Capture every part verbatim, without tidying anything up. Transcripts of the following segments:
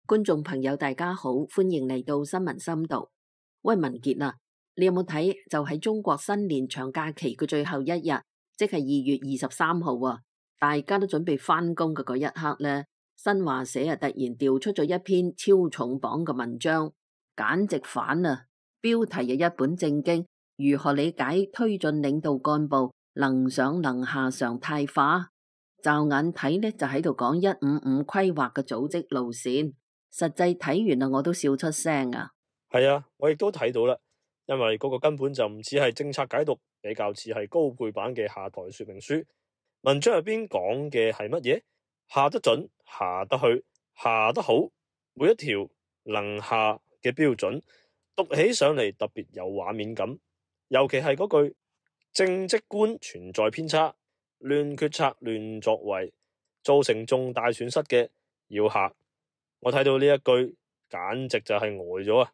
觀眾朋友大家好，歡迎嚟到新聞深度。喂，文傑啊，你有冇睇？就喺中國新年長假期嘅最後一日，即係二月二十三號啊，大家都準備翻工嘅嗰一刻呢，新華社啊突然調出咗一篇超重磅嘅文章，簡直反啊！標題又一本正經，如何理解推進領導幹部能上能下常態化？驟眼睇呢，就喺度講一五五規劃嘅組織路線。實際睇完啊，我都笑出聲啊！係啊，我亦都睇到啦，因為嗰個根本就唔似係政策解讀，比較似係高配版嘅下台說明書。文章入邊講嘅係乜嘢？下得準，下得去，下得好，每一條能下嘅標準，讀起上嚟特別有畫面感。尤其係嗰句政績觀存在偏差，亂決策、亂作為，造成重大損失嘅要下。我睇到呢一句，簡直就係呆咗啊！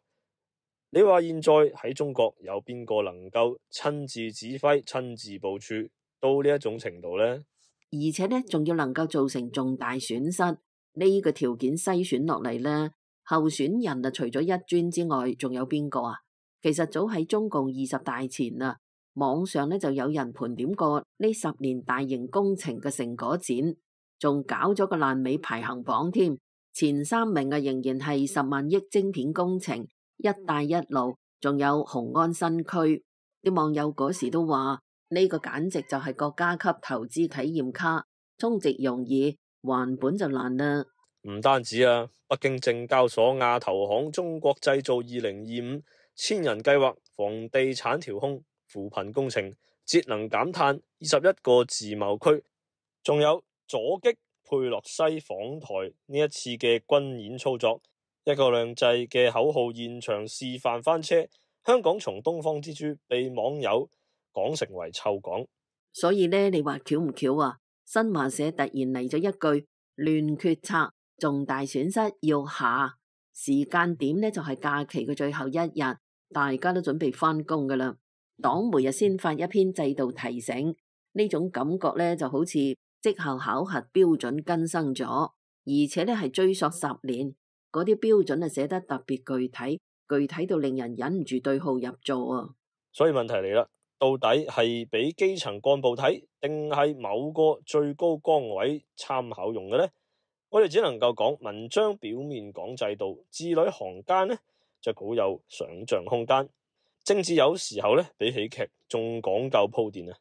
你話現在喺中國有邊個能夠親自指揮、親自部署到呢一種程度呢？而且呢，仲要能夠造成重大損失，呢個條件篩選落嚟呢，候選人啊，除咗一尊之外，仲有邊個啊？其實早喺中共二十大前啊，網上呢就有人盤點過呢十年大型工程嘅成果展，仲搞咗個爛尾排行榜添。前三名啊，仍然係十萬億晶片工程、一帶一路，仲有雄安新區。啲網友嗰時都話呢個簡直就係國家級投資體驗卡，充值容易，還本就難啦。唔單止啊，北京證交所亞投行中國製造二零二五千人計劃、房地產調控、扶貧工程、節能減碳、二十一個自貿區，仲有阻擊佩洛西訪台呢一次嘅軍演操作，一國兩制嘅口號現場示範翻車，香港從東方之珠被網友講成為臭港。所以呢，你話巧唔巧啊？新華社突然嚟咗一句亂決策，重大損失要下。時間點呢，就係假期嘅最後一日，大家都準備翻工噶啦。黨媒啊先發一篇制度提醒，呢種感覺呢，就好似績效考核標準更新咗，而且呢係追溯十年，嗰啲標準啊寫得特別具體，具體到令人忍唔住對號入座啊！所以問題嚟啦，到底係俾基層幹部睇，定係某個最高崗位參考用嘅呢？我哋只能夠講，文章表面講制度，字裏行間呢就好有想象空間。政治有時候呢比喜劇仲講究鋪墊啊！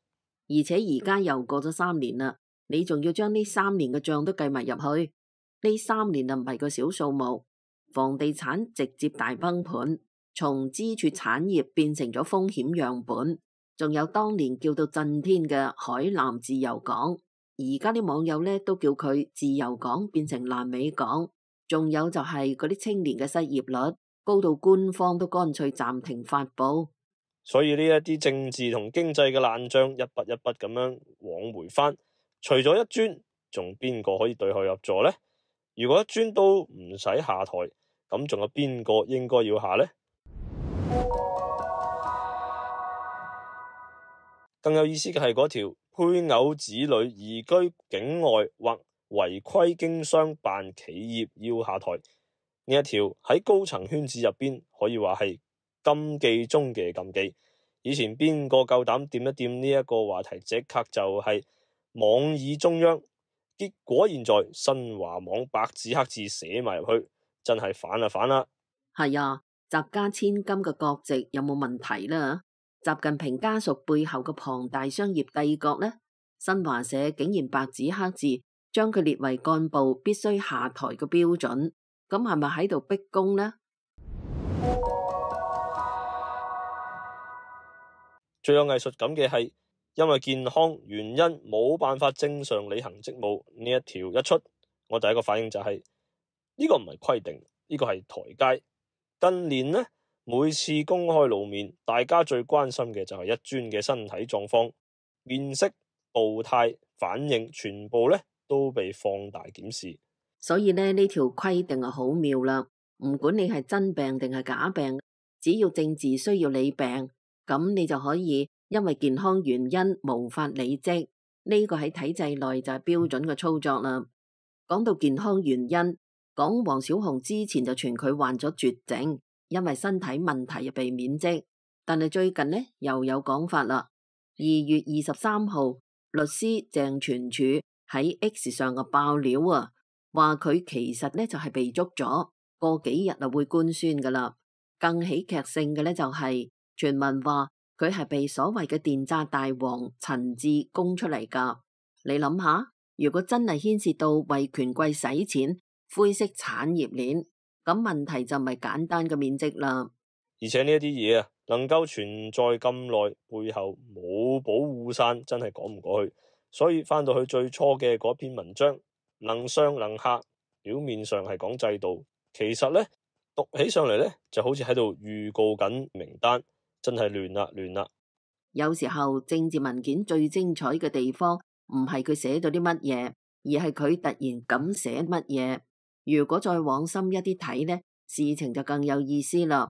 而且而家又過咗三年啦。你仲要將呢三年嘅賬都計埋入去，呢三年啊唔係個小數目。房地產直接大崩盤，從支柱產業變成咗風險樣本，仲有當年叫到震天嘅海南自由港，而家啲網友呢都叫佢自由港變成爛尾港。仲有就係嗰啲青年嘅失業率高到官方都乾脆暫停發布。所以呢一啲政治同經濟嘅爛賬一筆一筆咁樣往回翻。除咗一尊，仲邊個可以對號入座呢？如果一尊都唔使下台，咁仲有邊個應該要下呢？更有意思嘅係嗰條配偶子女移居境外或違規經商辦企業要下台呢一條，喺高層圈子入邊可以話係禁忌中嘅禁忌。以前邊個夠膽掂一掂呢一個話題，即刻就係網議中央，結果現在新華網白紙黑字寫埋入去，真係反啦反啦！係啊，習家千金嘅國籍有冇問題呢？習近平家屬背後嘅龐大商業帝國呢？新華社竟然白紙黑字將佢列為幹部必須下台嘅標準，咁係咪喺度逼宮呢？最有藝術感嘅係，因為健康原因冇辦法正常履行職務呢一條一出，我第一個反應就係、是、呢、這個唔係規定，呢、這個係台階。近年呢，每次公開露面，大家最關心嘅就係一尊嘅身體狀況、面色、步態、反應，全部呢都被放大檢視。所以呢，呢條規定係好妙啦，唔管你係真病定係假病，只要政治需要理病，咁你就可以因為健康原因無法履職，呢個喺體制內就係標準嘅操作啦。講到健康原因，講黃小紅之前就傳佢患咗絕症，因為身體問題而被免職。但係最近呢又有講法啦。二月二十三號，律師鄭全柱喺 X 上嘅爆料啊，話佢其實呢就係被捉咗，過幾日啊會官宣噶啦。更喜劇性嘅呢就係傳聞話佢係被所謂嘅電詐大王陳志供出嚟噶。你諗下，如果真係牽涉到為權貴使錢、灰色產業鏈，咁問題就唔係簡單嘅免職啦。而且呢一啲嘢啊，能夠存在咁耐，背後冇保護傘，真係講唔過去。所以翻到去最初嘅嗰篇文章，能上能下，表面上係講制度，其實呢，讀起上嚟呢，就好似喺度預告緊名單，真係亂啦亂啦。有時候政治文件最精彩嘅地方，唔係佢寫到啲乜嘢，而係佢突然咁寫乜嘢。如果再往深一啲睇呢，事情就更有意思啦。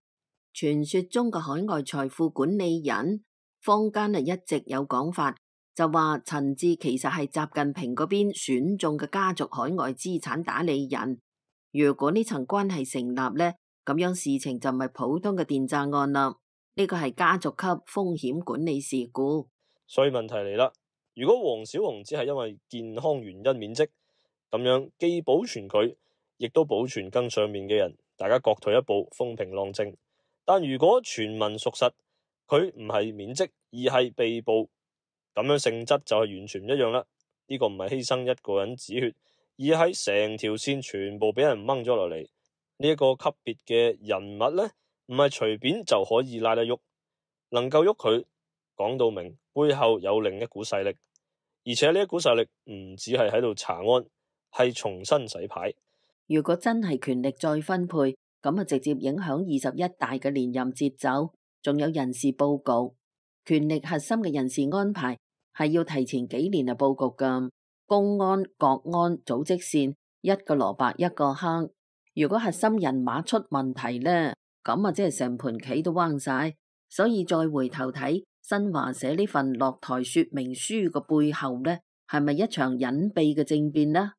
傳說中嘅海外財富管理人，坊間啊一直有講法，就話陳志其實係習近平嗰邊選中嘅家族海外資產打理人。如果呢層關係成立呢，咁樣事情就唔係普通嘅電詐案啦，呢個係家族級風險管理事故。所以問題嚟啦，如果黃小紅只係因為健康原因免職，咁樣既保存佢，亦都保存更上面嘅人，大家各退一步，風平浪靜。但如果傳聞屬實，佢唔係免職而係被捕，咁樣性質就係完全唔一樣啦。呢個唔係犧牲一個人止血，而係成條線全部俾人掹咗落嚟。呢一個級別嘅人物呢，唔係隨便就可以拉得喐，能夠喐佢，講到明背後有另一股勢力，而且呢一股勢力唔只係喺度查案，係重新洗牌。如果真係權力再分配，咁啊直接影響二十一大嘅連任節奏，仲有人事佈局。權力核心嘅人事安排係要提前幾年嚟佈局噶。公安、國安、組織線，一個蘿蔔一個坑。如果核心人馬出問題呢，咁啊即係成盤棋都彎晒。所以再回頭睇新華社呢份落台說明書嘅背後呢，係咪一場隱秘嘅政變呢？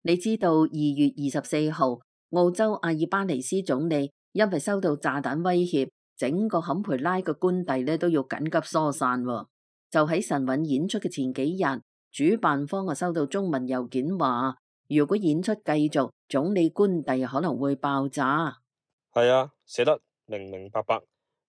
你知道二月二十四號，澳洲阿爾巴尼斯總理因為收到炸彈威脅，整個坎培拉嘅官邸咧都要緊急疏散。就喺神韻演出嘅前幾日，主辦方啊收到中文郵件話，如果演出繼續，總理官邸可能會爆炸。係啊，寫得明明白白。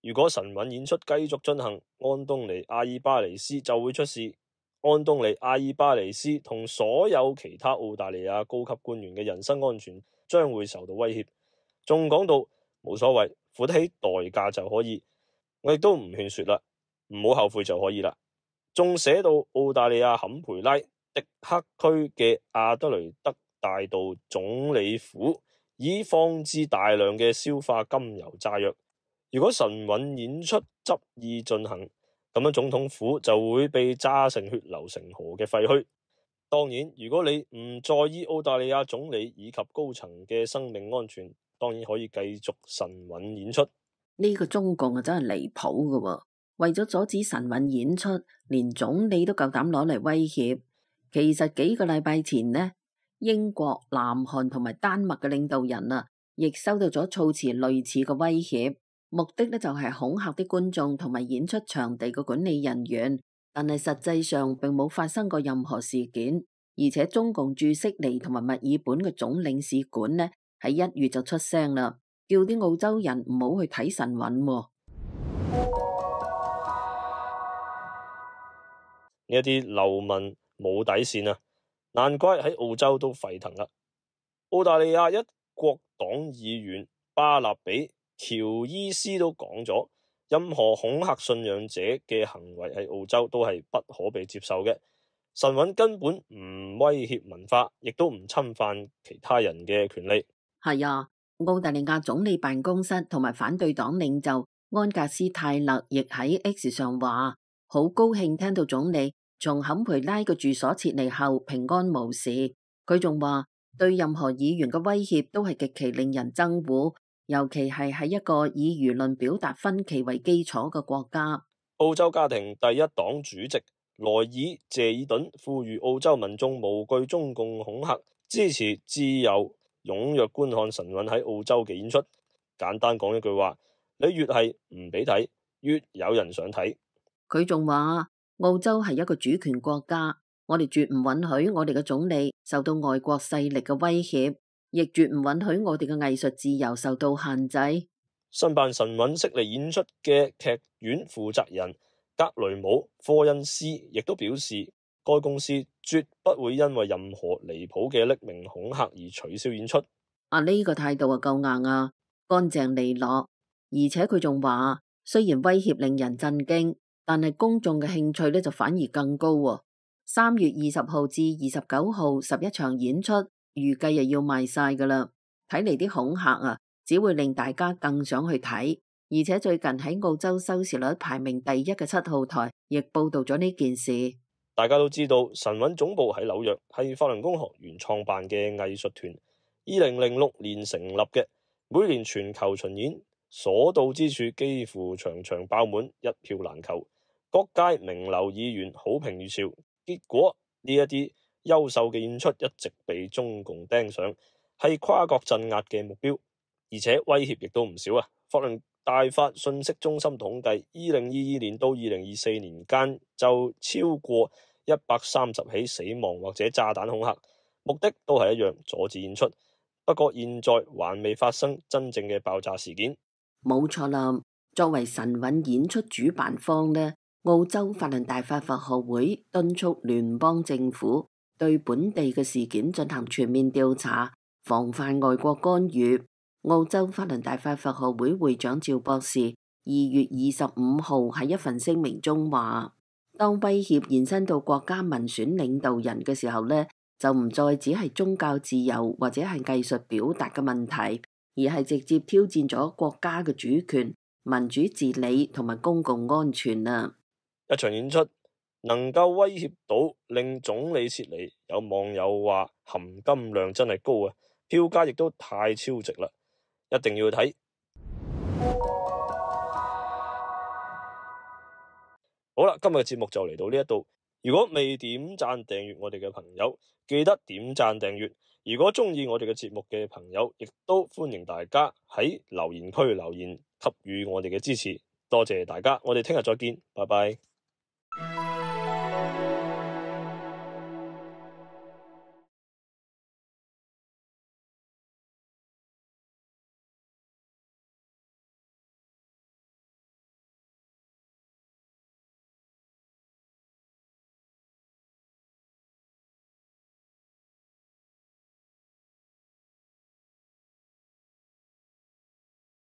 如果神韻演出繼續進行，安東尼阿爾巴尼斯就會出事。安東尼阿爾巴尼斯同所有其他澳大利亞高級官員嘅人身安全將會受到威脅，仲講到冇所謂，付得起代價就可以。我亦都唔勸說啦，唔好後悔就可以啦。仲寫到澳大利亞坎培拉迪克區嘅阿德雷德大道總理府已放置大量嘅硝化甘油炸藥。如果神韻演出執意進行，咁樣總統府就會被炸成血流成河嘅廢墟。當然，如果你唔在意澳大利亞總理以及高層嘅生命安全，當然可以繼續神韻演出。呢個中共啊真係離譜噶，為咗阻止神韻演出，連總理都夠膽攞嚟威脅。其實幾個禮拜前呢，英國、南韓同埋丹麥嘅領導人啊，亦收到咗措辭類似嘅威脅。目的呢就係恐嚇啲觀眾同埋演出場地嘅管理人員，但係實際上並冇發生過任何事件，而且中共駐悉尼同埋墨爾本嘅總領事館呢喺一月就出聲啦，叫啲澳洲人唔好去睇神韻。呢一啲流民冇底線啊，難怪喺澳洲都沸騰啦。澳大利亞一國黨議員巴納比喬伊斯都講咗，任何恐嚇信仰者嘅行為喺澳洲都係不可被接受嘅。神韻根本唔威脅文化，亦都唔侵犯其他人嘅權利。係啊，澳大利亞總理辦公室同埋反對黨領袖安格斯泰勒亦喺 X 上話，好高興聽到總理從坎培拉嘅住所撤離後平安無事。佢仲話，對任何議員嘅威脅都係極其令人憎惡。尤其係喺一個以輿論表達分歧為基礎嘅國家。澳洲家庭第一黨主席萊爾謝爾頓呼籲澳洲民眾無懼中共恐嚇，支持自由踴躍觀看神韻喺澳洲嘅演出。簡單講一句話，你越係唔俾睇，越有人想睇。佢仲話澳洲係一個主權國家，我哋絕唔允許我哋嘅總理受到外國勢力嘅威脅，亦絕唔允許我哋嘅藝術自由受到限制。申辦神韻悉尼演出嘅劇院負責人格雷姆科恩斯亦都表示，該公司絕不會因為任何離譜嘅匿名恐嚇而取消演出。啊，呢個態度啊夠硬啊，乾淨利落。而且佢仲話，雖然威脅令人震驚，但係公眾嘅興趣呢就反而更高喎。三月二十號至二十九號十一場演出，預計又要賣晒噶啦。睇嚟啲恐嚇啊，只會令大家更想去睇。而且最近喺澳洲收視率排名第一嘅七號台，亦報道咗呢件事。大家都知道，神韻總部喺紐約，係法輪功學員創辦嘅藝術團，二零零六年成立嘅，每年全球巡演，所到之處幾乎場場爆滿，一票難求。各界名流議員好評如潮，結果呢一啲優秀嘅演出一直被中共盯上，係跨國鎮壓嘅目標，而且威脅亦都唔少啊！法輪大法信息中心統計，二零二二年到二零二四年間就超過一百三十起死亡或者炸彈恐嚇，目的都係一樣，阻止演出。不過現在還未發生真正嘅爆炸事件。冇錯啦，作為神韻演出主辦方呢，澳洲法輪大法佛學會敦促聯邦政府對本地嘅事件進行全面調查，防範外國干預。澳洲法輪大法佛學會會長趙博士二月二十五號喺一份聲明中話，當威脅延伸到國家民選領導人嘅時候呢，就唔再只係宗教自由或者係藝術表達嘅問題，而係直接挑戰咗國家嘅主權、民主治理同埋公共安全啊！一場演出能夠威脅到令總理撤離，有網友話含金量真係高啊，票價亦都太超值啦，一定要睇。好啦，今日嘅節目就嚟到呢一度。如果未點讚訂閱我哋嘅朋友，記得點讚訂閱。如果中意我哋嘅節目嘅朋友，亦都歡迎大家喺留言區留言，給予我哋嘅支持。多謝大家，我哋聽日再見，拜拜。